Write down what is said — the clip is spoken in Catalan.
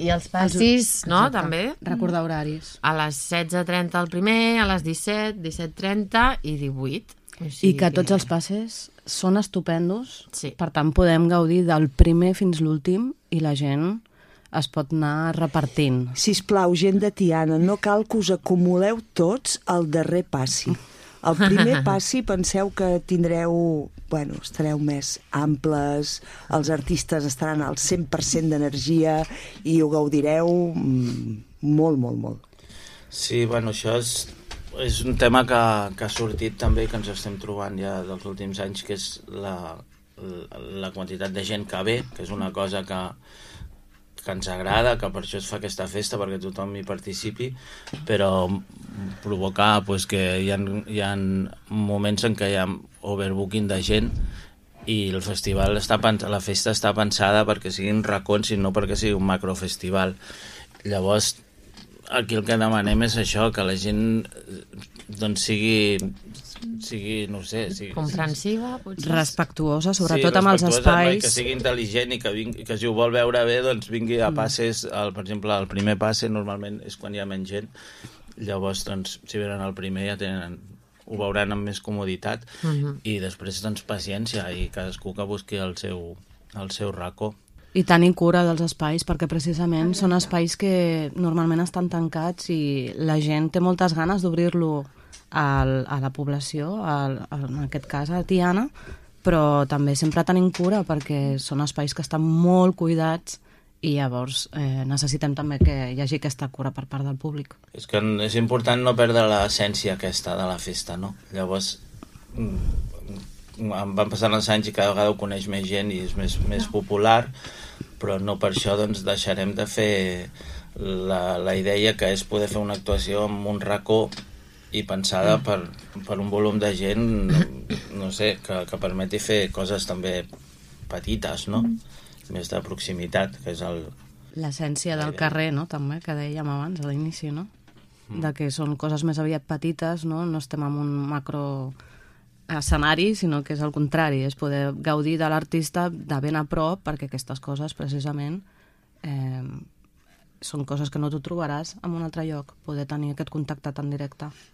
I els passis, no, també? Recordar horaris. A les 16:30 el primer, a les 17, 17:30 i 18. I que tots els passes són estupendos, Sí. per tant podem gaudir del primer fins l'últim i la gent es pot anar repartint. Sisplau, gent de Tiana, no cal que us acumuleu tots al darrer passi. El primer passi penseu que tindreu, bueno, estareu més amples, els artistes estaran al 100% d'energia i ho gaudireu molt, molt, molt. Sí, bueno, això és un tema que ha sortit també, que ens estem trobant ja dels últims anys, que és la quantitat de gent que ve, que és una cosa que ens agrada, que per això es fa aquesta festa, perquè tothom hi participi, però provocar pues, que hi ha moments en què hi ha overbooking de gent i el festival la festa està pensada perquè siguin racons i no perquè sigui un macrofestival. Llavors, aquí el que demanem és això, que la gent doncs sigui no sé... comprensiva, potser. Respectuosa, sobretot amb els espais. Que sigui intel·ligent i que si ho vol veure bé, doncs vingui a passes. Per exemple, el primer passe normalment és quan hi ha menys gent. Llavors, doncs, si venen al primer ho veuran amb més comoditat i després, doncs, paciència i cadascú que busqui el seu racó. I tenir cura dels espais, perquè precisament són espais que normalment estan tancats i la gent té moltes ganes d'obrir-lo a la població, en aquest cas a Tiana, però també sempre tenim cura perquè són espais que estan molt cuidats i llavors necessitem també que hi hagi aquesta cura per part del públic. És que és important no perdre l'essència aquesta de la festa, no? Llavors van passant els anys i cada vegada ho coneix més gent i és més popular, però no per això doncs, deixarem de fer la idea que és poder fer una actuació amb un racó i pensada per un volum de gent, no sé, que permeti fer coses també petites, no? Més de proximitat, que és l'essència del carrer, no? També, que dèiem abans, a l'inici, no? De que són coses més aviat petites, no? No estem en un macro escenari, sinó que és el contrari, és poder gaudir de l'artista de ben a prop, perquè aquestes coses, precisament, són coses que no t'ho trobaràs en un altre lloc, poder tenir aquest contacte tan directe.